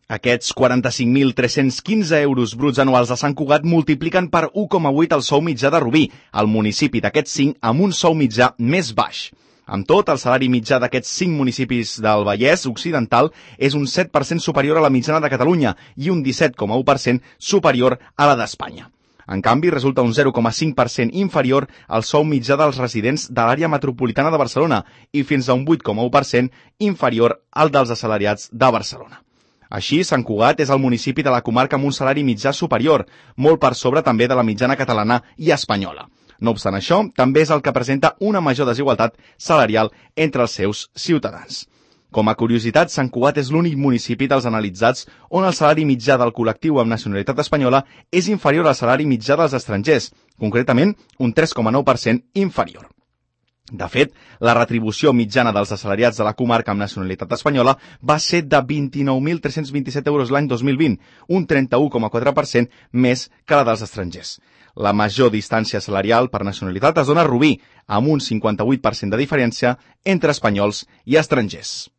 Aquests 45.315 euros bruts anuals de Sant Cugat multipliquen per 1,8 el sou mitjà de Rubí, el municipi d'aquests 5 amb un sou mitjà més baix. Amb tot, el salari mitjà d'aquests 5 municipis del Vallès Occidental és un 7% superior a la mitjana de Catalunya i un 17,1% superior a la d'Espanya. En canvi, resulta un 0,5% inferior al sou mitjà dels residents de l'àrea metropolitana de Barcelona i fins a un 8,1% inferior al dels assalariats de Barcelona. Així, Sant Cugat és el municipi de la comarca amb un salari mitjà superior, molt per sobre també de la mitjana catalana i espanyola. No obstant això, també és el que presenta una major desigualtat salarial entre els seus ciutadans. Com a curiositat, Sant Cugat és l'únic municipi dels analitzats on el salari mitjà del col·lectiu amb nacionalitat espanyola és inferior al salari mitjà dels estrangers, concretament un 3,9% inferior. De fet, la retribució mitjana dels assalariats de la comarca amb nacionalitat espanyola va ser de 29.327 euros l'any 2020, un 31,4% més que la dels estrangers. La major distància salarial per nacionalitat es dona a Rubí, amb un 58% de diferència entre espanyols i estrangers.